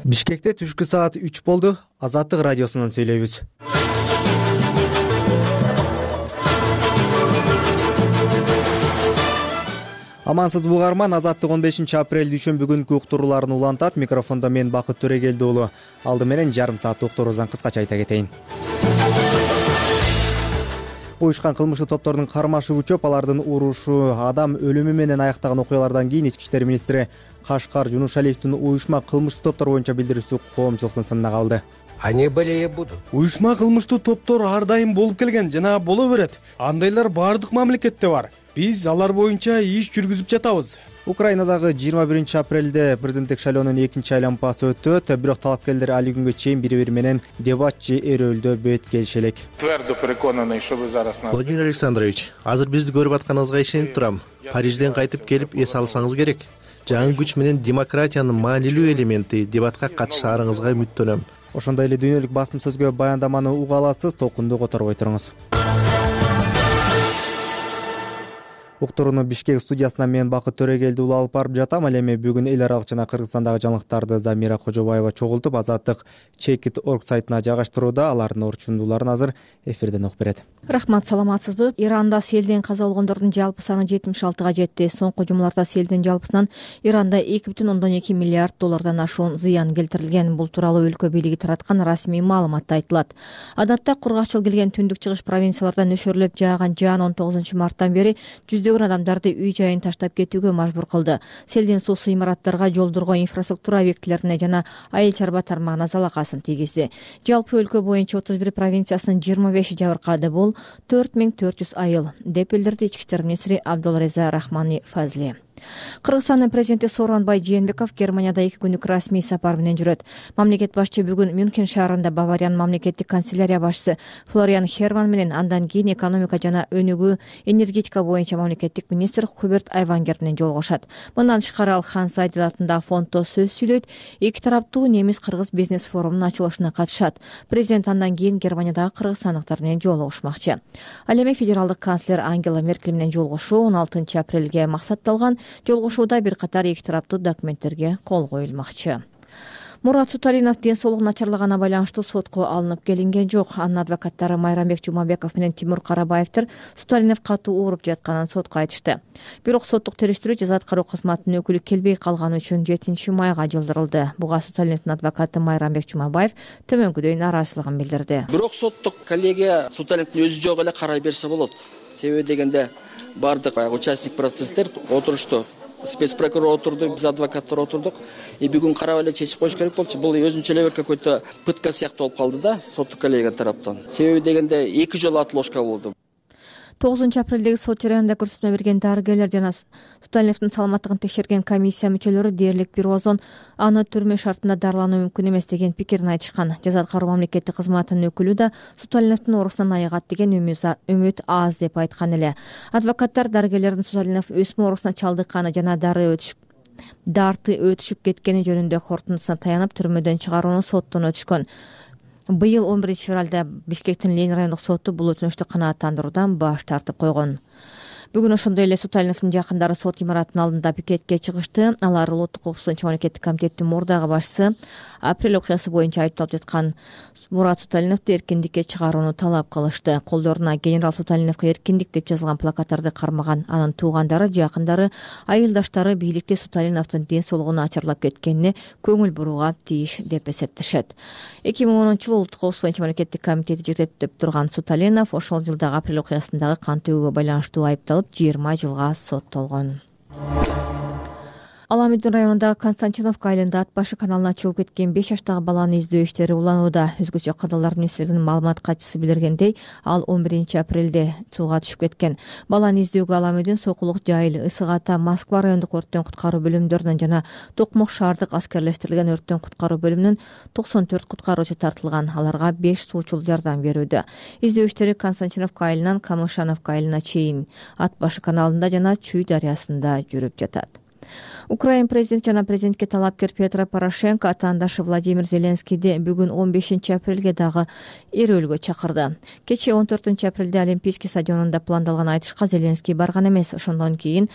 Бишкекте түшкү саат 3 болду. Азаттык радиосунан сүйлөйбүз. Амансызбы угарман, Азаттык 15 апрель дүйшөмбү күнкү уктурууларын улантат. Микрофондо мен Бакыт Төрегелди уулу. Алды менен жарым саат уктуруубуздан кыскача айта кетейин. Уюшкан кылмыштуу топтордун кармашы күчөп, алардын урушу, адам өлүмү менен аяктаган окуялардан кийин Ички иштер министри Кашкар Жунушалиевдин уюшма кылмыштуу топтор боюнча билдирүүсү коомчулуктун сынына калды. Они были и будут. Уюшма кылмыштуу топтор ар дайым болуп келген жана боло берет. Андайлар баардык мамлекетте бар. Биз алар боюнча иш жүргүзүп жатабыз. Украинадагы 21 апрелде президенттик шайлоонун экинчи айланмасы өтөт. Бирок талапкерлер али күнгө чейин бири-бири менен дебат же эрөөлдө бет келиши элек. Владимир Александрович, азыр бизди көрүп атканыңызга ишенип турам. Парижден кайтып келип эс алсаңыз керек. Жаңы күч менен демократиянын маанилүү элементи дебатка катышаарыңызга үмүттөнөм. Ошондой эле дүйнөлүк басма сөзгө баяндаманы уга аласыз. Толкунду которбой туруңуз. Уктурууну Бишкек студиясынан мен Бакыт Төрегелди уулу алып барып жатам. Ал эми бүгүн эл аралык жана Кыргызстандагы жаңылыктарды Замира Кожобаева чогултуп, Азаттык Checkit.org сайтына жайгаштырууда. Алардын орчундууларын азыр эфирден угуп берет. Рахмат, саламатсызбы? Иранда селден каза болгондордун жалпы саны 76-га жетти. Соңку жумаларда селдин жалпысынан Иранда 2,2 миллиард доллардан ашуун зыян келтирилген. Бул тууралуу өлкө бийлиги тараткан расмий маалыматта айтылат. Адатта кургакчыл келген түндүк чыгыш провинциялардан нөшөрлөп жааган жаан 19 марттан бери жүздөгөн адамдарды үй жайын таштап кетүүгө мажбур кылды. Селдин суусу имараттарга, жолдорго, инфраструктура объектилерине жана айыл чарба тармагына залакасын тийгизди. Жалпы өлкө боюнча 31 провинциясынын 25 жабыркады. Бул 4400 айыл, деп билдирди Ички иштер министри Абдулреза Рахмани Фазли. Кыргызстандын президенти Сооронбай Жээнбеков Германияда 2 күндүк расмий сапар менен жүрөт. Мамлекет башчы бүгүн Мюнхен шаарында Бавариянын мамлекеттик канцелярия башчысы Флориан Херман менен, андан кийин экономика жана өнүгүү, энергетика боюнча мамлекеттик министр Хуберт Айвангер менен жолугушат. Мындан тышкары ал Хан Сайдил атындагы фонддо сөз сүйлөйт. Эки тараптуу немис-кыргыз бизнес форумунун ачылышына катышат. Президент андан кийин Германиядагы кыргызстандыктар менен жолугушмакчы. Ал эми федералдык канцлер Ангела Меркель менен жолугушуу 16 апрелге максатталган. Жолугушууда бир катар эки тараптуу документтерге кол коюлмакчы. Мурат Суталинов ден соолугу начарлаганына байланыштуу сотко алынып келинген жок. Анын адвокаттары Майрамбек Жумабеков менен Тимур Карабаевдер Суталинов катуу ооруп жатканын сотко айтышты. Бирок соттук териштирүү жаза аткаруу кызматынын өкүлү келбей калганы үчүн 7 майга жылдырылды. Буга Суталиновдун адвокаты Майрамбек Жумабаев төмөнкүдөй нааразычылыгын билдирди. Бирок соттук коллегия Суталиновдун өзү жок эле карай берсе болот. Себеби дегенде бардык участник процесстер отурушту. Спецпрокурор отурду, биз адвокаттар отурдук. Бүгүн карап эле чечип коюш керек болчу. Бул өзүнчө эле бир какой-то пытка сыяктуу болуп калды да, соттук коллегия тараптан. Себеби дегенде 2 жолу отлошка болду. 9 апрелдеги сот жарыянда көрсөтмө берген дарыгерлер жана Суталиновдун саламаттыгын текшерген комиссия мүчөлөрү дээрлик бир озон аны түрмө шартында дарылануу мүмкүн эмес деген пикирин айтышкан. Жаза аткаруу мамлекеттик кызматынын өкүлү да Суталиновдун оорусунан айыгат деген үмүт аз деп айткан эле. Адвокаттар дарыгерлердин Суталинов өсмө оорусуна чалдыкканы жана дарты өтүшүп кеткени жөнүндө корутундусуна таянып түрмөдөн чыгарууну соттон өтүшкөн. Быйыл 11 февралда Бишкектин Ленин райондук соту бул өтүнүштү канааттандыруудан баш тартып койгон. Бүгүн ошондой эле Суталиновдун жакындары сот имаратынын алдында пикетке чыгышты. Алар Улуттук коопсуздук мамлекеттик комитеттин мурдагы башчысы апрель окуясы боюнча айыпталып жаткан Мурат Суталиновду эркиндикке чыгарууну талап кылышты. Колдоруна генерал Суталиновго эркиндик деп жазылган плакаттарды кармаган анын туугандары, жакындары, айылдаштары бийликте Суталиновдун ден соолугу начарлап кеткенине көңүл бурууга тийиш деп эсептешет. 2010-жылы Улуттук коопсуздук боюнча мамлекеттик комитети жетектеп турган Суталинов ошол жылдагы апрель окуясындагы кан төгүүгө байланыштуу айыпталып 20 жылга соттолгон. Аламүдүн районундагы Константиновка айылында ат башы каналына чыгып кеткен 5 жаштагы баланы издөө иштери уланууда. Өзгөчө Кырдаалдар министрлигинин маалымат катчысы билдиргендей, ал 11 апрелде сууга түшүп кеткен. Баланы издөөгө Аламүдүн, Сокулук, Жайыл, Ысык Ата, Москва райондук өрттөн куткаруу бөлүмдөрүнөн жана Токмок шаардык аскерлештирилген өрттөн куткаруу бөлүмүнүн 94 куткаруучу тартылган. Аларга 5 суучул жардам берүүдө. Издөө иштери Константиновка айылынан Камышановка айылына чейин ат башы каналында жана Чүй дарыясында жүрүп жатат. Украин президенти жана президентке талапкер Петро Порошенко атаандашы Владимир Зеленскийди бүгүн 15 апрелге дагы эрөөлгө чакырды. Кечээ 14 апрелде Олимпийский стадионунда пландалган айтышка Зеленский барган эмес. Ошондон кийин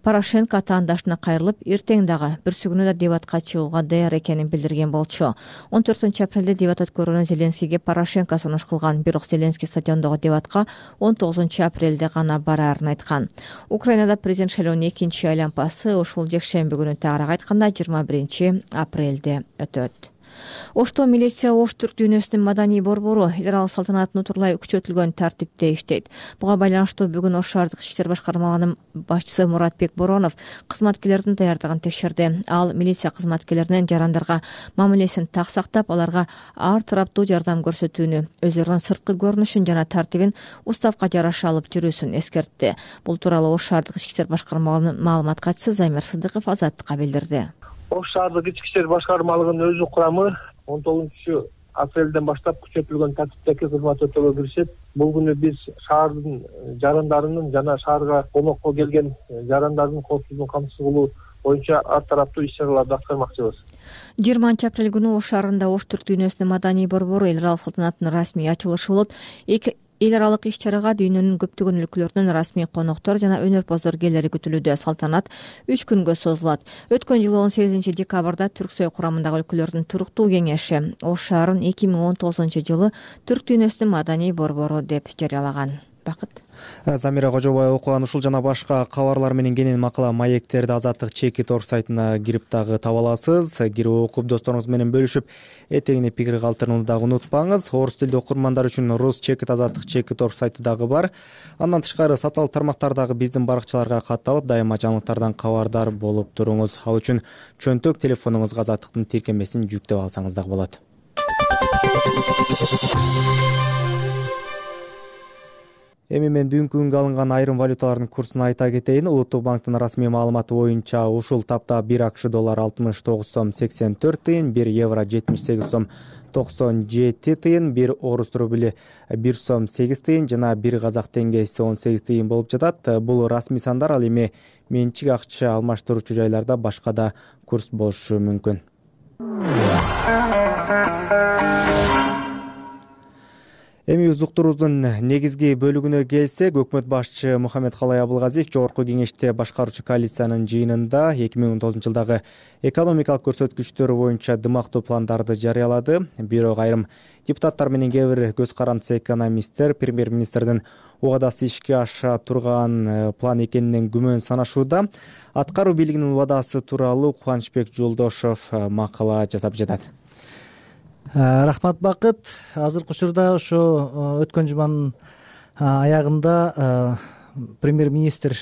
Порошенко атаандашына кайрылып, эртең дагы бүрсүгүнү да дебатка чыгууга даяр экенин билдирген болчу. 14 апрелде дебат өткөрүүнү Зеленскийге Порошенко сунуш кылган, бирок Зеленский стадиондогу дебатка 19 апрелде гана бараарын айткан. Украинада президент шайлоонун экинчи айлампасы ушул жекшемби күнү тагыраак айтканда 21 апрелде өтөт. Ошто милиция Ош түрк дүйнөсүнүн маданий борбору эл аралык салтанатын утурлай күчөтүлгөн тартипте иштейт. Буга байланыштуу бүгүн Ош шаардык ички иштер башкармалыгынын башчысы Муратбек Боронов кызматкерлердин даярдыгын текшерди. Ал милиция кызматкерлеринин жарандарга мамилесин так сактап, аларга ар тараптуу жардам көрсөтүүнү, өзүлөрүнүн сырткы көрүнүшүн жана тартибин уставка жараша алып жүрүүсүн эскертти. Бул тууралуу Ош шаардык ички иштер башкармалыгынын маалымат катчысы Замир Сыдыков Азаттыкка билдирди. Ош шаардык ички иштер башкармалыгынын өзү курамы 19 апрелден баштап күчөтүлгөн тартиптеги кызмат өтөөгө киришет. Бул күнү биз шаардын жарандарынын жана шаарга конокко келген жарандардын коопсуздугун камсыз кылуу боюнча ар тараптуу иш-чараларды аткармакчыбыз. 20 апрель күнү Ош шаарында Ош түрк дүйнөсүнүн маданий борбору эл аралык салтанатынын расмий ачылышы болот. Эл аралык иш-чарага дүйнөнүн көптөгөн өлкөлөрүнөн расмий коноктор жана өнөрпоздор келери күтүлүүдө. Салтанат 3 күнгө созулат. Өткөн жылы 18 декабрда Түрксой курамындагы өлкөлөрдүн туруктуу кеңеши Ош шаарын 2019 жылы түрк дүйнөсүнүн маданий борбору деп жарыялаган. Бакыт. Замира Кожобаева окуган ушул жана башка кабарлар менен кенен макала маектерди Азаттык Чекит.org сайтына кирип дагы таба аласыз. Кирип окуп досторуңуз менен бөлүшүп, этегине пикир калтырууну дагы унутпаңыз. Орус тилдүү окурмандар үчүн Рус Чекит Азаттык Чекит.org сайты дагы бар. Андан тышкары социалдык тармактардагы биздин баракчаларга катталып, дайыма жаңылыктардан кабардар болуп туруңуз. Ал үчүн чөнтөк телефонуңузга Азаттыктын тиркемесин жүктөп алсаңыз дагы болот. Эми мен бүгүнкү күнгө алынган айрым валюталардын курсун айта кетейин. Улуттук банктын расмий маалыматы боюнча ушул тапта 1 акш доллар 69 сом 84 тыйын, 1 евро 78 сом 97 тыйын, 1 орус рубли 1 сом 8 тыйын жана 1 казак теңгеси 18 тыйын болуп жатат. Бул расмий сандар, ал эми менчик акча алмаштыруучу жайларда башка да курс болушу мүмкүн. Эми өз уктуруубуздун негизги бөлүгүнө келсек, өкмөт башчы Мухаммедкалай Абылгазиев Жогорку кеңеште башкаруучу коалициянын жыйынында 2019 жылдагы экономикалык көрсөткүчтөр боюнча дымактуу пландарды жарыялады. Бирок айрым депутаттар менен кээ бир көз карандысы экономисттер премьер-министрдин убадасы ишке аша турган план экенинен күмөн санашууда. Аткаруу бийлигинин убадасы тууралуу Кубанычбек Жолдошов макала жасап жатат. Рахмат, Бакыт. Азыркы учурда ошо өткөн жуманын аягында премьер-министр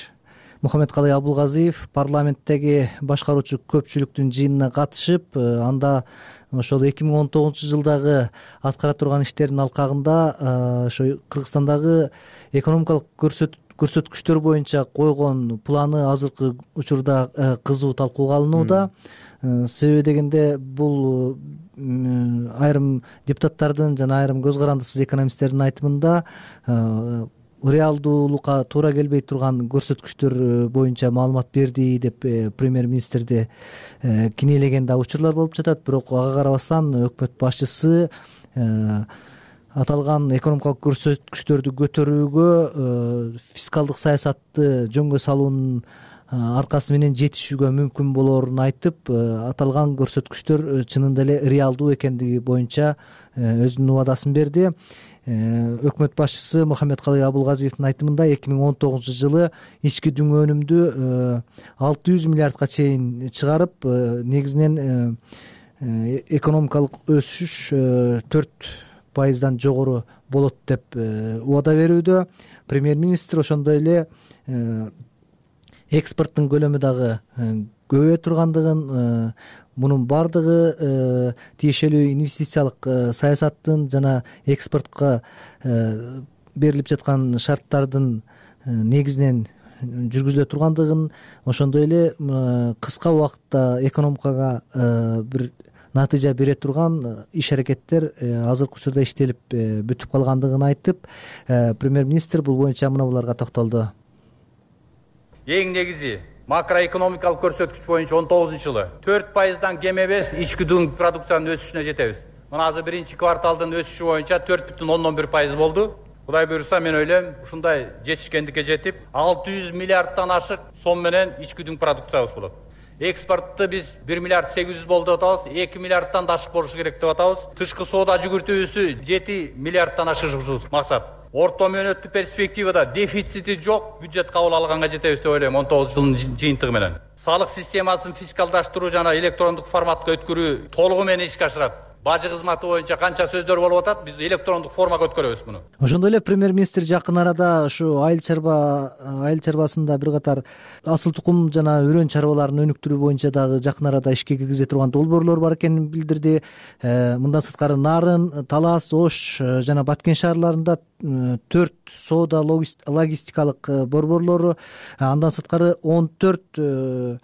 Мухаммедкалай Абылгазиев парламенттеги башкаруучу көпчүлүктүн жыйынына катышып, анда ошол 2019 жылдагы аткара турган иштердин алкагында ошо Кыргызстандагы экономикалык көрсөткүчтөр боюнча койгон планы азыркы учурда кызуу талкууга алынууда. Себеби дегенде бул айрым депутаттардын жана айрым көз карандысыз экономисттердин айтымында реалдуулукка туура келбей турган көрсөткүчтөр боюнча маалымат берди деп премьер-министрди кинелеген да учурлар болуп жатат. Бирок ага карабастан өкмөт башчысы аталган экономикалык көрсөткүчтөрдү көтөрүүгө фискалдык саясатты жөнгө салуунун аркасы менен жетишүүгө мүмкүн болоорун айтып, аталган көрсөткүчтөр чынында эле реалдуу экендиги боюнча өзүнүн убадасын берди. Өкмөт башчысы Мухаммедкалай Абылгазиевдин айтымында 2019 жылы ички дүң өнүмдү 600 миллиардка чейин чыгарып, негизинен экономикалык өсүш 4% жогору болот деп убада берүүдө. Премьер-министр ошондой эле экспорттун көлөмү дагы көбөйө тургандыгын, мунун бардыгы тиешелүү инвестициялык саясаттын жана экспортко берилип жаткан шарттардын негизинен жүргүзүлө тургандыгын, ошондой эле кыска убакытта экономикага бир натыйжа бере турган иш-аракеттер азыркы учурда иштелип бүтүп калгандыгын айтып, премьер-министр бул боюнча мына буларга токтолду. Эң негизи макроэкономикалык көрсөткүч боюнча 19 жылы 4%дан кем эмес ички дүң продукциянын өсүшүнө жетебиз. Мына азыр биринчи кварталдын өсүшү боюнча 4,11% болду. Кудай буюрса мен ойлойм ушундай жетишкендикке жетип 600 миллиарддан ашык сом менен ички дүң продукциябыз болот. Экспортты биз 1 миллиард 800 болду деп атабыз, 2 миллиарддан да ашык болушу керек деп атабыз. Тышкы соода жүгүртүүбүздү 7 миллиарддан ашырышыбыз максат. Орто мөөнөттүү перспективада дефицити жок бюджет кабыл алганга жетебиз деп ойлойм 19 жылдын жыйынтыгы менен. Салык системасын фискалдаштыруу жана электрондук форматка өткөрүү толугу менен ишке ашырат. Бажы кызматы боюнча канча сөздөр болуп атат, биз электрондук формага өткөрөбүз муну. Ошондой эле премьер-министр жакын арада ушу айыл чарбасында бир катар асыл тукум жана өрөн чарбаларын өнүктүрүү боюнча дагы жакын арада ишке киргизе турган долбоорлор бар экенин билдирди. Мындан сырткары Нарын, Талас, Ош жана Баткен шаарларында 4 соода логистикалык борборлору, андан сырткары 14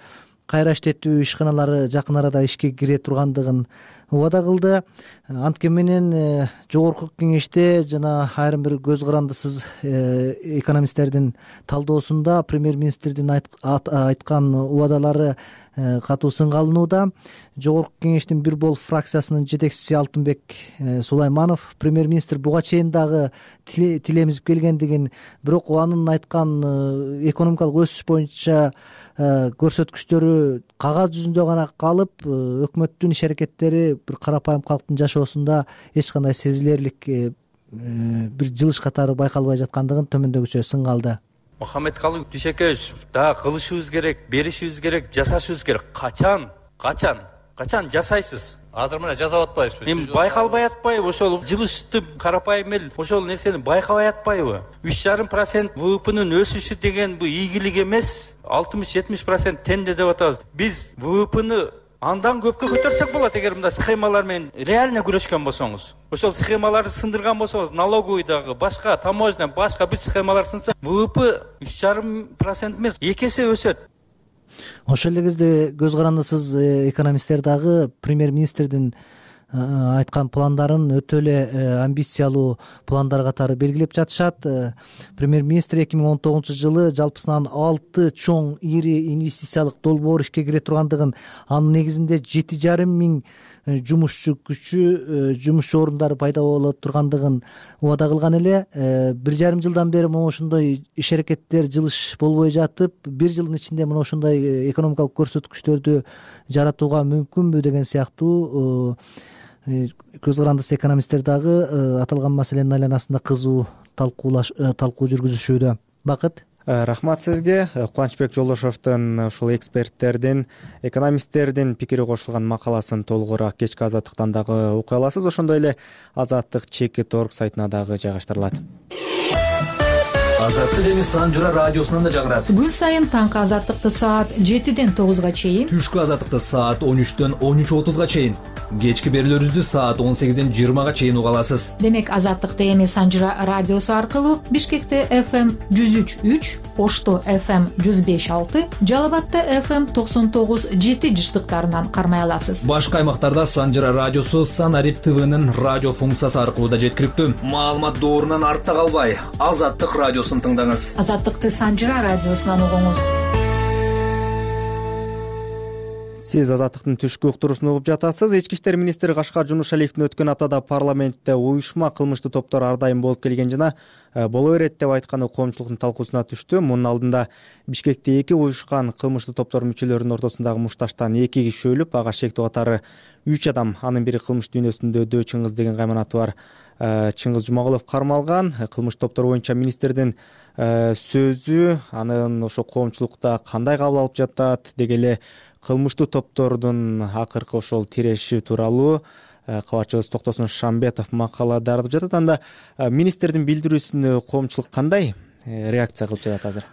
кайра иштетүү ишканалары жакын арада ишке кире тургандыгын убада кылды. Анткени менен жогорку кеңеште жана айрым бир көз карандысыз экономисттердин талдоосунда премьер-министрдин айткан убадалары катуу сынга алынууда. Жогорку кеңештин бир бол фракциясынын жетекчиси Алтынбек Сулайманов премьер-министр буга чейин дагы тилемизип келгендигин, бирок анын айткан экономикалык өсүш боюнча көрсөткүчтөрү кагаз жүзүндө гана калып, өкмөттүн иш аракеттери бир карапайым калктын жашоосунда эч кандай сезилерлик бир жылыш катары байкалбай жаткандыгын төмөндөгүчө сынга алды. Мухаммедкалый Дүйшөкеевич, дагы кылышыбыз керек, беришибиз керек, жасашыбыз керек. Качан жасайсыз? Азыр мына жасап атпайбызбы? Эми байкалбай атпайбы? Ошол жылышты карапайым эл ошол нерсени байкабай атпайбы? 3,5% ВВПнын өсүшү деген бу ийгилик эмес. 60-70% тенде деп атабыз. Биз ВВПны андан көпкө көтөрсөк болот эгер мындай схемалар менен реально күрөшкөн болсоңуз. Ошол схемаларды сындырган болсоңуз, налоговыйдагы башка, таможня, башка бүт схемалар сынса, ВВП 3,5% эмес, 2 эсе өсөт. Ошол эле кезде көз карандысыз экономисттер дагы премьер-министрдин айткан пландарын өтө эле амбициялуу пландар катары белгилеп жатышат. Премьер-министр 2019 жылы жалпысынан 6 чоң ири инвестициялык долбоор ишке кире тургандыгын, анын негизинде 7,5 миң жумушчу күчү, жумушчу орундары пайда боло тургандыгын убада кылган эле. 1,5 жылдан бери мына ошондой иш аракеттер, жылыш болбой жатып, 1 жылдын ичинде мына ошондой экономикалык көрсөткүчтөрдү жаратууга мүмкүнбү деген сыяктуу көз карандысыз экономисттер дагы аталган маселенин айланасында кызуу талкуу жүргүзүшүүдө. Бакыт. Рахмат сизге. Кубанычбек Жолдошовдун ушул эксперттердин, экономисттердин пикири кошулган макаласын толугураак кечки Азаттыктан дагы окуй аласыз. Ошондой эле Азаттык Chekit.org сайтына дагы жайгаштырылат. Азаттык эми Санжыра радиосунан да жагырат. Күн сайын таңкы Азаттыкты саат 7-ден 9-га чейин, түшкү Азаттыкты саат 13-төн 13:30-га чейин, кечки берүүлөрүбүздү саат 18-ден 20-га чейин уга аласыз. Демек Азаттыкты эми Санжыра радиосу аркылуу Бишкекте FM 103.3, Ошто FM 105.6, Жалал Абадта FM 99.7 жыштыктарынан кармай аласыз. Башка аймактарда Санжыра радиосу Санарип ТВнын радио функциясы аркылуу да жеткиликтүү. Маалымат доорунан артта калбай, Азаттык радиосун тыңдаңыз. Азаттыкты Санжыра радиосунан угуңуз. Сиз Азаттыктын түшкү уктуруусун угуп жатасыз. Ички иштер министри Кашкар Жунушалиевдин өткөн аптада парламентте уюшма кылмыштуу топтор ар дайым болуп келген жана боло берет деп айтканы коомчулуктун талкуусуна түштү. Мунун алдында Бишкекте 2 уюшкан кылмыштуу топтор мүчөлөрүнүн ортосундагы мушташтан 2 киши өлүп, ага шектүү катары 3 адам, анын бири кылмыш дүйнөсүндө Дөө Чыңгыз деген кайманаты бар Чыңгыз Жумагулов кармалган. Кылмыш топтор боюнча министрдин сөзү анын ошо коомчулукта кандай кабыл алып жатат, деги эле кылмыштуу топтордун акыркы ошол тиреши тууралуу кабарчыбыз Токтосун Шамбетов макала даярдап жатат. Анда министрдин билдирүүсүнө коомчулук кандай реакция кылып жатат азыр?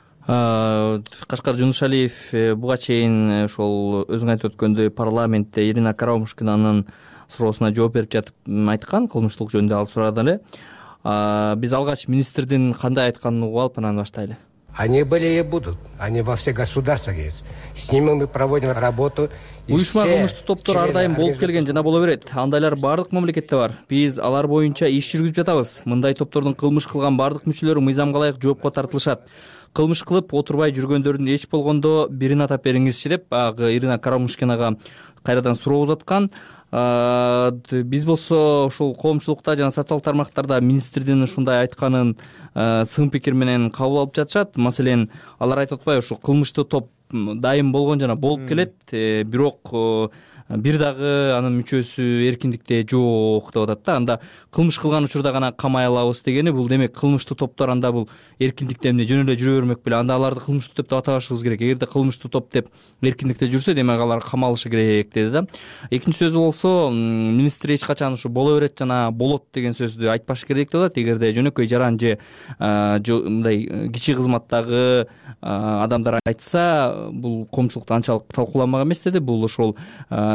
Кашкар Жунушалиев буга чейин ошол өзүң айтып өткөндөй парламентте Ирина Карамушкинанын суроосуна жооп берип жатып айткан, кылмыштуулук жөнүндө ал сурады эле. Биз алгач министрдин кандай айтканын угуп алып анан баштайлы. Они были и будут, они во всех государствах есть. С ними мы проводим работу. Уюшма кылмыштуу топтор ар дайым болуп келген жана боло берет. Андайлар бардык мамлекетте бар. Биз алар боюнча иш жүргүзүп жатабыз. Мындай топтордун кылмыш кылган бардык мүчөлөрү мыйзамга ылайык жоопко тартылышат. кылмыш кылып отурбай жүргөндөрдүн эч болгондо бирин атап бериңизчи деп баягы Ирина Карамушкинага кайрадан суроо узаткан. Биз болсо ушул коомчулукта жана социалдык тармактарда министрдин ушундай айтканын сын пикир менен кабыл алып жатышат. Маселен, алар айтып атпайбы, ушул кылмыштуу топ дайым болгон жана болуп келет, бирок бир дагы анын мүчөсү эркиндикте жок деп атат да. Анда кылмыш кылган учурда гана камай алабыз дегени, бул демек кылмыштуу топтор анда бул эркиндикте эмне жөн эле жүрө бермек беле? Анда аларды кылмыштуу топ деп атабашыбыз керек. Эгерде кылмыштуу топ деп эркиндикте жүрсө, демек алар камалышы керек деди да. Экинчи сөзү болсо, министр эч качан ушу боло берет жана болот деген сөздү айтпаш керек деп атат. Эгерде жөнөкөй жаран же мындай кичи кызматтагы адамдар айтса, бул коомчулукта анчалык талкууланмак эмес деди. Бул ошол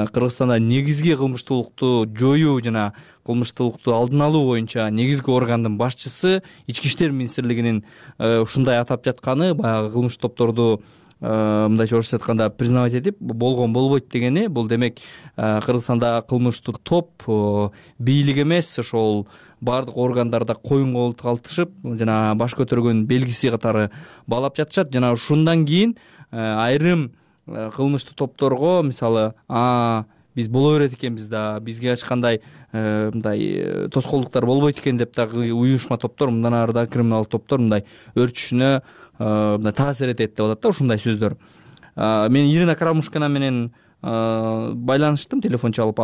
Кыргызстанда негизги кылмыштуулукту жоюу жана кылмыштуулукту алдын алуу боюнча негизги органдын башчысы Ички иштер министрлигинин ушундай атап жатканы, баягы кылмыш топторду мындайча орусча айтканда признавать этип болгон болбойт дегени, бул демек Кыргызстанда кылмыштуу топ бийлик эмес, ошол баардык органдарда коюн калтышып жана баш көтөргөн белгиси катары баалап жатышат. Жана ушундан кийин айрым кылмыштуу топторго, мисалы, биз боло берет экенбиз да, бизге эч кандай мындай тоскоолдуктар болбойт экен деп дагы уюшма топтор, мындан ары да криминалдык топтор мындай өрчүшүнө мындай таасир этет деп атат да ушундай сөздөр. Мен Ирина Карамушкина менен байланыштым, телефон чалып,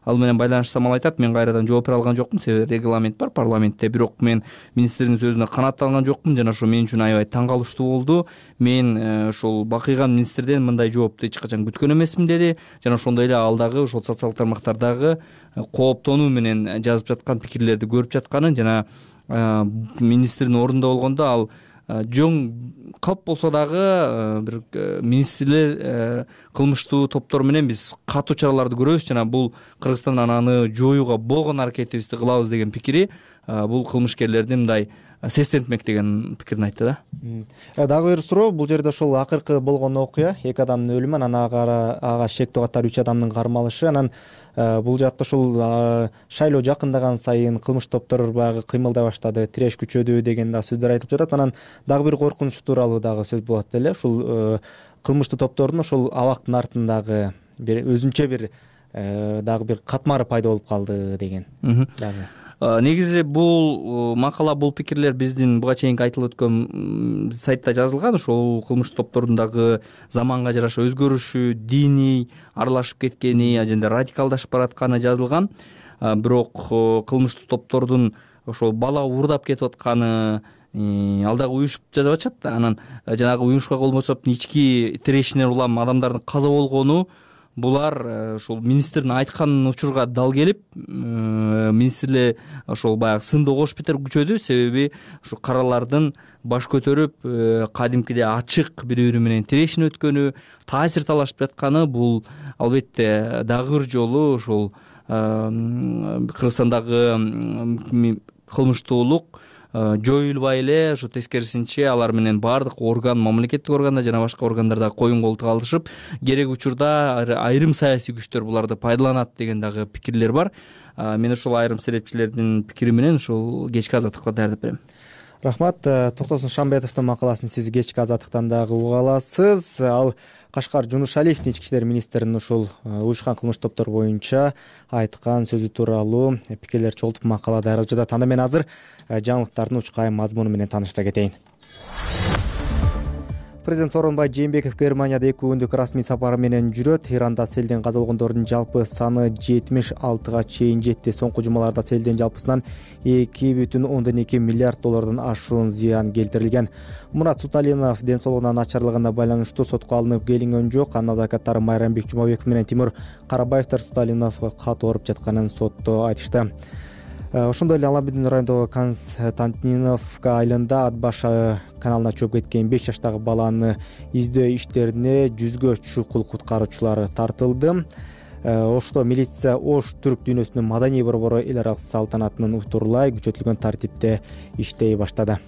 ал менен байланышсам, ал айтат, мен кайрадан жооп бере алган жокмун, себеби регламент бар парламентте, бирок мен министрдин сөзүнө канаатталган жокмун жана ошо мен үчүн аябай таң калыштуу болду. Мен ошол бакыйган министрден мындай жоопту эч качан күткөн эмесмин деди. Жана ошондой эле ал дагы ошол социалдык тармактардагы кооптонуу менен жазып жаткан пикирлерди көрүп жатканын жана министрдин ордунда болгондо ал жөн калп болсо дагы бир министрлер кылмыштуу топтор менен биз катуу чараларды көрөбүз жана бул Кыргызстандан аны жоюуга болгон аракетибизди кылабыз деген пикири бул кылмышкерлерди мындай сестентмек деген пикирин айтты да. Дагы бир суроо, бул жерде ошол акыркы болгон окуя, 2 адамдын өлүмү, анан ага шектүү катары 3 адамдын кармалышы, анан бул жакта ушул шайлоо жакындаган сайын кылмыш топтор баягы кыймылдай баштады, тиреш күчөдү деген да сөздөр айтылып жатат. Анан дагы бир коркунуч тууралуу дагы сөз болот эле. Ушул кылмыштуу топтордун ошол абактын артындагы бир өзүнчө бир дагы бир катмары пайда болуп калды деген дагы. Негизи бул макала, бул пикирлер биздин буга чейинки айтылып өткөн сайтта жазылган. Ошол кылмыш топтордун дагы заманга жараша өзгөрүшү, диний аралашып кеткени, же радикалдашып баратканы жазылган. Бирок кылмыштуу топтордун ошол бала уурдап кетип атканы ал дагы уюшуп жазып атышат. Анан жанагы уюшка колмошоптун ички тирешинен улам адамдардын каза болгону, булар ошол министрдин айткан учурга дал келип, министрлер ошол баягы сынды кош бетер күчөдү, себеби ушу каралардын баш көтөрүп кадимкидей ачык бири-бири менен тирешин өткөнү, таасир талашып жатканы, бул албетте дагы бир жолу ошол Кыргызстандагы кылмыштуулук жоюлбай эле, ошо тескерисинче алар менен баардык орган, мамлекеттик органдар жана башка органдарда коюн колтук алышып, керек учурда айрым саясий күчтөр буларды пайдаланат деген дагы пикирлер бар. Мен ошол айрым серепчилердин пикири менен ушул кечки азаттыкка даярдап берем. Рахмат. Токтосун Шамбетовдун макаласын сиз кечки азаттыктан дагы уга аласыз. Ал Кашкар Жунушалиевдин ички иштер министринин ушул уюшкан кылмыш топтор боюнча айткан сөзү тууралуу пикирлер чогултуп макала даярдап жатат. Анда мен азыр жаңылыктардын учкайым мазмуну менен тааныштыра кетейин. Президент Сооронбай Жээнбеков Германияда 2 күндүк расмий сапары менен жүрөт. Иранда селден каза болгондордун жалпы саны 76га чейин жетти. Соңку жумаларда селден жалпысынан 2,2 миллиард доллардан ашуун зыян келтирилген. Мурат Суталинов ден соолугунун начарлыгына байланыштуу сотко алынып келингөн жок. Анын адвокаттары Майрамбек Жумабеков менен Тимур Карабаевдер Суталиновго кат оруп жатканын сотто айтышты. Ошондой эле Алабидин районундагы Константиновка айылында Атбаш каналына чөп кеткен 5 жаштагы баланы издөө иштерине 100гө чукул куткаруучулар тартылды. Ошто милиция Ош түрк дүйнөсүнүн маданий борбору эл аралык салтанатынын утурлай күчөтүлгөн тартипте иштей баштады.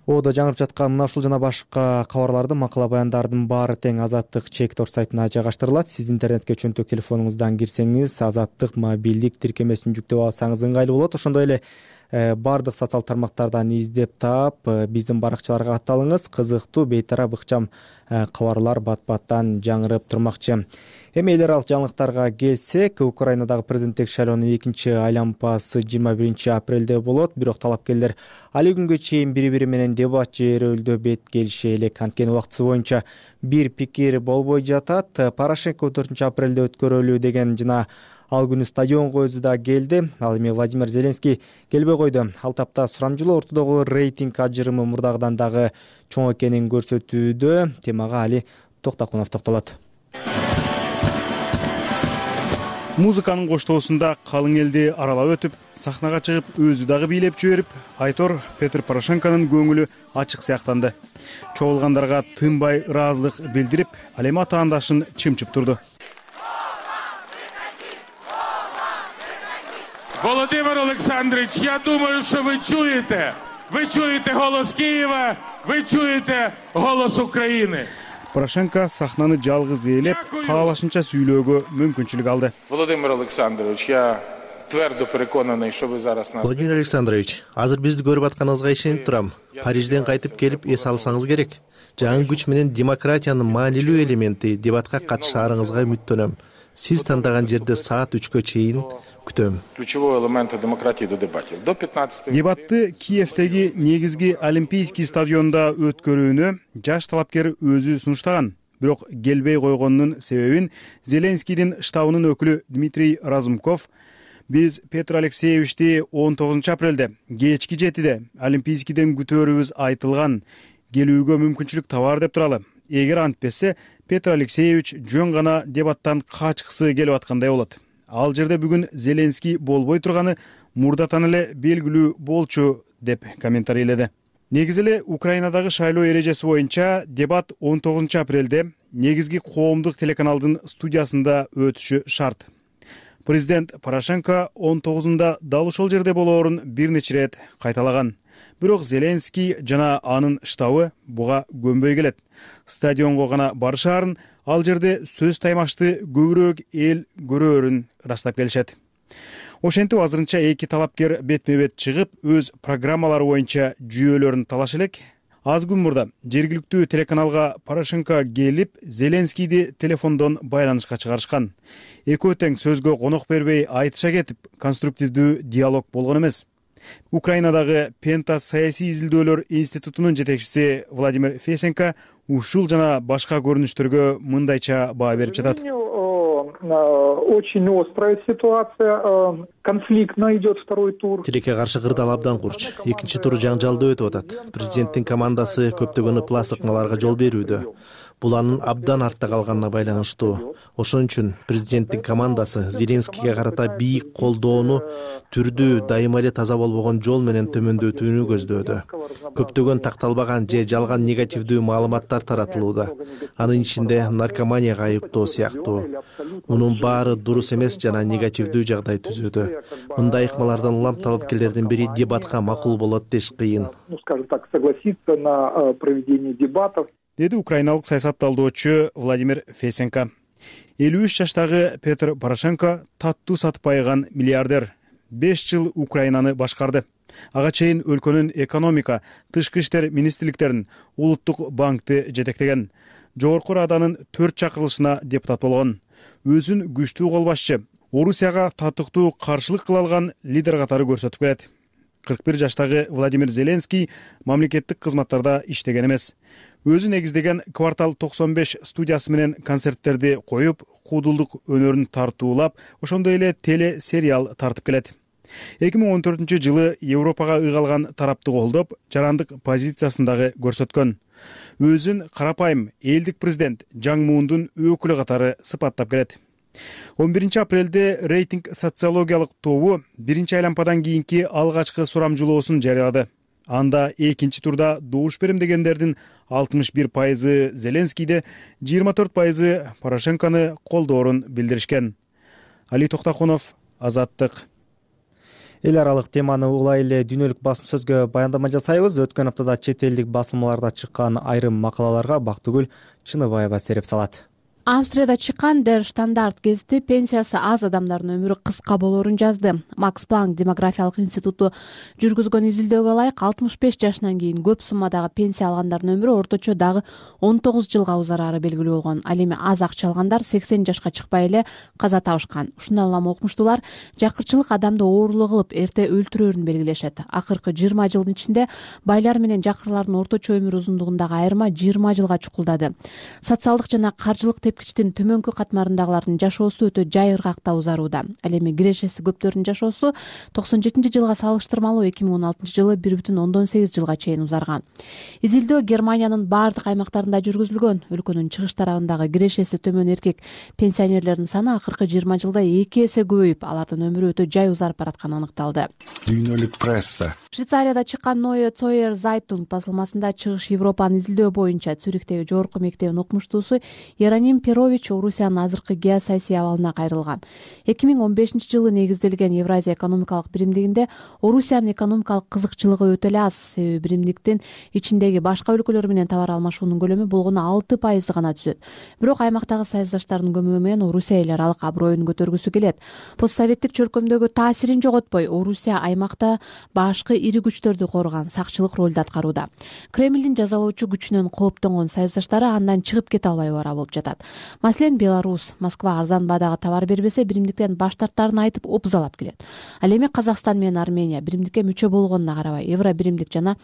Оодо жаңырып жаткан мына ушул жана башка кабарларды, макала баяндардын баары тең Азаттык чек-торт сайтына жайгаштырылат. Сиз интернетке чөнтөк телефонуңуздан кирсеңиз, Азаттык мобилдик тиркемесин жүктөп алсаңыз ыңгайлуу болот. Ошондой эле баардык социал тармактардан издеп таап, биздин баракчаларга катталыңыз. Кызыктуу, бейтарап, ыкчам кабарлар бат-баттан жаңырып турмакчы. Эми эл аралык жаңылыктарга келсек, Украинадагы президенттик шайлоонун экинчи айлампасы 21 апрелде болот. Бирок талапкерлер али күнгө чейин бири-бири менен дебат чыйрылды бет келише элек. Анткени убактысы боюнча бир пикир болбой жатат. Порошенко 4 апрелде өткөрөлүү деген жана ал күнү стадионго өзү да келди. Ал эми Владимир Зеленский келбей койду. Ал тапта сурамжылоо ортодогу рейтинг ажырымы мурдагыдан дагы чоң экенин көрсөтүүдө. Темага Али Токтакунов токтолот. Музыканын коштоосунда калың элди аралап өтүп, сахнага чыгып, өзү дагы бийлеп жиберип, Айтор Петр Порошенконун көңүлү ачык сыяктанды. Чогулгандарга тынбай ыраазылык билдирип, ал эми атаандашын чымчып турду. Володимир Александрович, я думаю, что вы чуете голос Киева, вы чуете голос Украины. Порошенко сахнаны жалгыз ээлеп, каалашынча сүйлөөгө мүмкүнчүлүк алды. Владимир Александрович, я твердо переконаный, что вы зараз нас... Владимир Александрович, азыр бизди көрүп атканыңызга ишенип турам. Парижден кайтып келип эс алсаңыз керек. Жаңы күч менен демократиянын маанилүү элементи дебатка катышаарыңызга үмүттөнөм. Сиз тандаган жерде саат 3кө чейин күтөм. Ключевой элемент демократии до дебатов. До 15. Дебатты Киевдеги негизги Олимпийский стадионда өткөрүүнү жаш талапкер өзү сунуштаган. Бирок келбей койгонунун себебин Зеленскийдин штабынын өкүлү Дмитрий Разумков биз Петр Алексеевичти 19 апрелде кечки 7-де Олимпийскийден күтөөрүбүз айтылган, келүүгө мүмкүнчүлүк табар деп туралы. Эгер антпесе, Петр Алексеевич жөн гана дебаттан качкысы келип аткандай болот. Ал жерде бүгүн Зеленский болбой турганы мурдатан эле белгилүү болчу деп комментарийледи. Негизи эле Украинадагы шайлоо эрежеси боюнча дебат 19 апрелде негизги коомдук телеканалдын студиясында өтүшү шарт. Президент Порошенко 19-да дал ошол жерде болоорун бир нече рет кайталаган. Бирок Зеленский жана анын штабы буга көнбөй келет. Стадионго гана барышаарын, ал жерде сөз таймашты көбүрөөк эл көрөөрүн ырастап келишет. Ошентип азырынча эки талапкер бетме-бет чыгып, өз программалары боюнча жүйөлөрүн талаш элек. Аз күн мурда жергиликтүү телеканалга Порошенко келип, Зеленскийди телефондон байланышка чыгарышкан. Экөө тең сөзгө конок бербей айтыша кетип, конструктивдүү диалог болгон эмес. Украинадагы Пента саясий изилдөөлөр институтунун жетекчиси Владимир Фесенко ушул жана башка көрүнүштөргө мындайча баа берип жатат. Очень острая ситуация, конфликтно идет второй тур. Тилекке каршы кырдаал абдан курч. Экинчи тур жаңжалдуу өтүп атат. Президенттин командасы көптөгөн ыплас ыкмаларга жол берүүдө. Бул анын абдан артта калганына байланыштуу. Ошон үчүн президенттин командасы Зеленскийге карата бийик колдоону түрдүү, дайыма эле таза болбогон жол менен төмөндөтүүнү көздөөдө. Көптөгөн такталбаган же жалган негативдүү маалыматтар таратылууда. Анын ичинде наркоманияга айыптоо сыяктуу. Мунун баары дурус эмес жана негативдүү жагдай түзүүдө. Мындай ыкмалардан улам талапкерлердин бири дебатка макул болот деш кыйын. Скажем так, согласиться на проведение дебатов. Деди украиналык саясатталдоочу Владимир Фесенко. 53 жаштагы Петр Порошенко таттуу сатып айган миллиардер. 5 жыл Украинаны башкарды. Ага чейин өлкөнүн экономика, тышкы иштер министрликтерин, улуттук банкты жетектеген. Жогорку Раданын 4 чакырылышына депутат болгон. Өзүн күчтүү кол башчы, Орусияга татыктуу каршылык кыла алган лидер катары көрсөтүп келет. 41 жаштагы Владимир Зеленский мамлекеттик кызматтарда иштеген эмес. Өзү негиздеген Квартал 95 студиясы менен концерттерди коюп, куудулдук өнөрүн тартуулап, ошондой эле теле сериал тартып келет. 2014 жылы Европага ыйгалган тарапты колдоп, жарандык позициясын дагы көрсөткөн. Өзүн карапайым элдик президент Жаң Муундун өкүлү катары сыпаттап келет. 11 апрелде рейтинг социологиялык тобу биринчи айлампадан кийинки алгачкы сурамжылоосун жарыялады. Анда экинчи турда добуш берем дегендердин 61% Зеленскийди, 24% Порошенкону колдоорун билдиришкен. Али Токтакунов, Азаттык. эл аралык теманы улай эле дүйнөлүк басым сөзгө баяндама жасайбыз. Өткөн аптада чет элдик басылмаларда чыккан айрым макалаларга Бактыгүл Чыныбаева сереп салат. Австрияда чыккан Der Standard гезити пенсиясы аз адамдардын өмүрү кыска болоорун жазды. Макс Планк демографиялык институту жүргүзгөн изилдөөгө ылайык 65 жашынан кийин көп суммадагы пенсия алгандардын өмүрү орточо дагы 19 жылга узарары белгилүү болгон. Ал эми аз акча алгандар 80 жашка чыкпай эле каза табышкан. Ушундан улам окумуштуулар жакырчылык адамды оорулуу кылып эрте өлтүрөөрүн белгилешет. Акыркы 20 жылдын ичинде байлар менен жакырлардын орточо өмүр узундугундагы айырма 20 жылга чукулдады. Социалдык жана каржылык тепкичтин төмөнкү катмарындагылардын жашоосу өтө жай ыргакта узарууда. Ал эми кирешеси көптөрдүн жашоосу 97-жылга салыштырмалуу 2016-жылы 1,8 жылга чейин узарган. Изилдөө Германиянын бардык аймактарында жүргүзүлгөн. Өлкөнүн чыгыш тарабындагы кирешеси төмөн эркек пенсионерлердин саны акыркы 20 жылда 2 эсе көбөйүп, алардын өмүрү өтө жай узарып баратканы аныкталды. Дүйнөлүк пресса. Швейцарияда чыккан Neue Zürcher Zeitung басылмасында чыгыш Европанын изилдөө боюнча Цюрихтеги жогорку мектебинин окумуштуусу Ероним Перович Орусиянын азыркы геосаясий абалына кайрылган. 2015-жылы негизделген Евразия экономикалык биримдигинде Орусиянын экономикалык кызыкчылыгы өтө эле аз. Себеби биримдиктин ичиндеги башка өлкөлөр менен товар алмашуунун көлөмү болгону 6% гана түзөт. Бирок аймактагы саясатташтардын көмөгү менен Орусия эл аралык аброюн көтөргүсү келет. Постсоветтик чөлкөмдөгү таасирин жоготпой, Орусия аймакта башкы ири күчтөрдү корган сакчылык ролду аткарууда. Кремлдин жазалоочу күчүнөн кооптонгон саясатташтары андан чыгып кете албай бара болуп жатат. Маселен, Беларусь Москва арзан баадагы товар бербесе, биримдиктен баш тартаарын айтып опузалап келет. Ал эми Казакстан менен Армения биримдикке мүчө болгонуна карабай, евро биримдик жана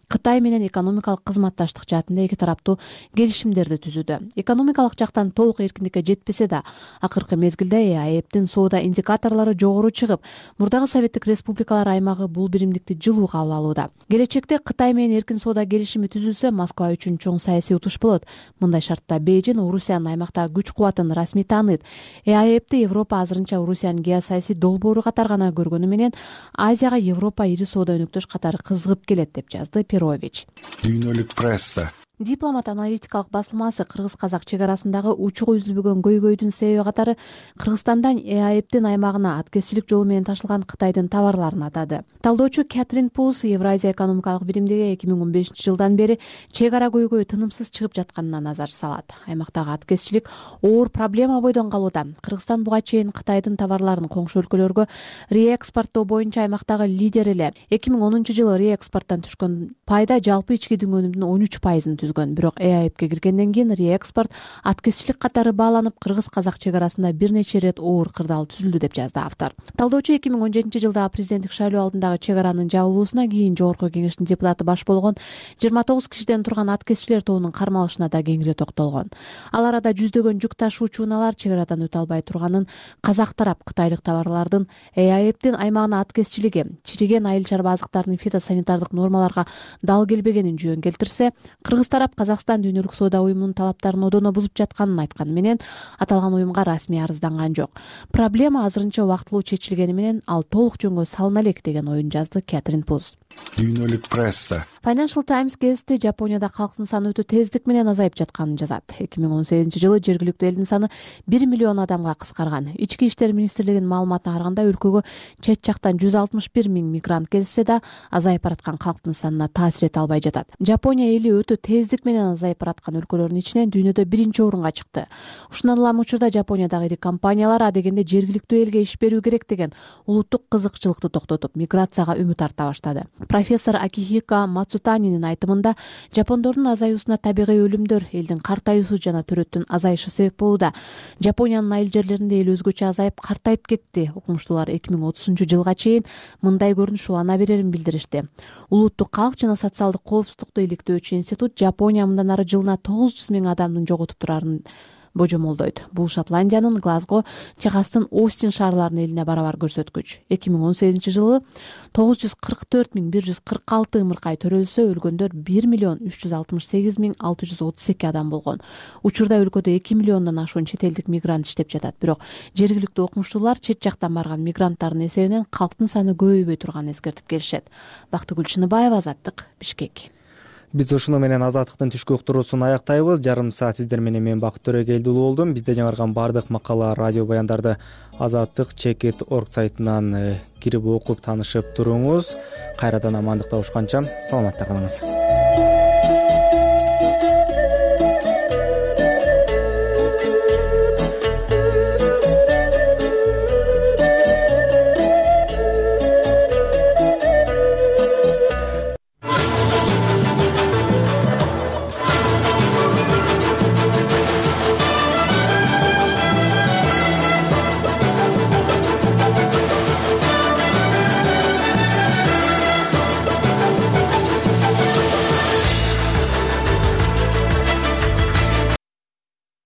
Кытай менен экономикалык кызматташтык жаатында эки тараптуу келишимдерди түзүүдө. Экономикалык жактан толук эркиндикке жетпесе да, акыркы мезгилде АЭПтин соода индикаторлору жогору чыгып, мурдагы Советтик Республикалар аймагы бул биримдикти жылуу кабыл алууда. Келечекте Кытай менен эркин соода келишими түзүлсө, Москва үчүн чоң саясий утуш болот. Мындай шартта Бейжин Орусиянын аймактагы күч кубатын расмий тааныйт. АЭПти Европа азырынча Орусиянын геосаясий долбоору катары гана көргөнү менен Азияга Европа ири соода өнөктөш катары кызыгып келет, деп жазды Перович. Дүйнөлүк пресса. Дипломат аналитикалык басылмасы кыргыз-казак чек арасындагы учугу үзүлбөгөн көйгөйдүн себеби катары Кыргызстандан АЭПтин аймагына аткезчилик жолу менен ташылган Кытайдын товарларын атады. Талдоочу Кэтрин Пулс Евразия экономикалык биримдиги 2015-жылдан бери чек ара көйгөй тынымсыз чыгып жатканына назар салат. Аймактагы аткезчилик оор проблема бойдон калууда. Кыргызстан буга чейин Кытайдын товарларын коңшу өлкөлөргө реэкспорттоо боюнча аймактагы лидер эле. 2010-жылы реэкспорттон түшкөн пайда жалпы ички дүнгөнүмдүн 13%-ын түзгөн. Бирок АЭПке киргенден кийин реэкспорт аткезчилик катары бааланып, кыргыз-казак чек арасында бир нече ирет оор кырдаал түзүлдү, деп жазды автор. Талдоочу 2017-жылдагы президенттик шайлоо алдындагы чек аранын жабылуусуна кийин жогорку кеңештин депутаты баш болгон 29 кишиден турган аткезчилер тобунун кармалышына да кеңири токтолгон. Ал арада жүздөгөн жүк ташуучу унаалар чек арадан өтө албай турганын, казак тарап кытайлык товарлардын АЭПтин аймагына аткезчилиги, чириген айыл чарба азыктарынын фитосанитардык нормаларга дал келбегенин жөн келтирсе, кыргыз тарап Казакстан Дүйнөлүк соода уюмунун талаптарын одоно бузуп жатканын айтканы менен аталган уюмга расмий арызданган жок. Проблема азырынча убактылуу чечилгени менен ал толук жөнгө салына элек, деген оюн жазды Кэтрин Пулс. Дүйнөлүк пресса. Financial Times гезити Жапонияда калктын саны өтө тездик менен азайып жатканын жазат. 2018-жылы жергиликтүү элдин саны 1 миллион адамга кыскарган. Ички иштер министрлигинин маалыматына караганда, өлкөгө чет жактан 161 миң мигрант келсе да, азайып бараткан калктын санына таасир эте албай жатат. Жапония эли өтө тездик менен азайып бараткан өлкөлөрдүн ичинен дүйнөдө 1-орунга чыкты. Ушундан улам учурда Жапониядагы ири компаниялар адегенде жергиликтүү элге иш берүү керек деген улуттук кызыкчылыкты токтотуп, миграцияга үмүт арта баштады. Профессор Акихико Мацутанинин айтымында, жапондордун азаюусуна табигый өлүмдөр, элдин картаюусу жана төрөттүн азайышы себеп болууда. Жапониянын айыл жерлеринде эл өзгөчө азайып, картайып кетти. Окумуштуулар 2030-жылга чейин мындай көрүнүш улана берерин билдиришти. Улуттук калк жана социалдык коопсуздукту иликтөөчү институт Жапония мындан ары жылына 900 миң адамдын жоготуп турарын божомолдойт. Бул Шотландиянын Глазго, Техастын Остин шаарларынын элине барабар көрсөткүч. 2018-жылы 944.146 ымыркай төрөлсө, өлгөндөр 1.368.632 адам болгон. Учурда өлкөдө 2 миллиондон ашуун чет элдик мигрант иштеп жатат. Бирок жергиликтүү окумуштуулар чет жактан барган мигранттардын эсебинен калктын саны көбөйбөй турганын эскертип келишет. Бактыгүл Чыныбаева, Азаттык, Бишкек. Биз ушуну менен Азаттыктын түшкү уктуруусун аяктайбыз. Жарым саат сиздер менен мен Бакыт Төрөгелди уулу болдум. Бизде жаңырган баардык макала, радио баяндарды Azattik.org сайтынан кирип окуп таанышып туруңуз. Кайрадан амандыкта урушканча саламатта калыңыз.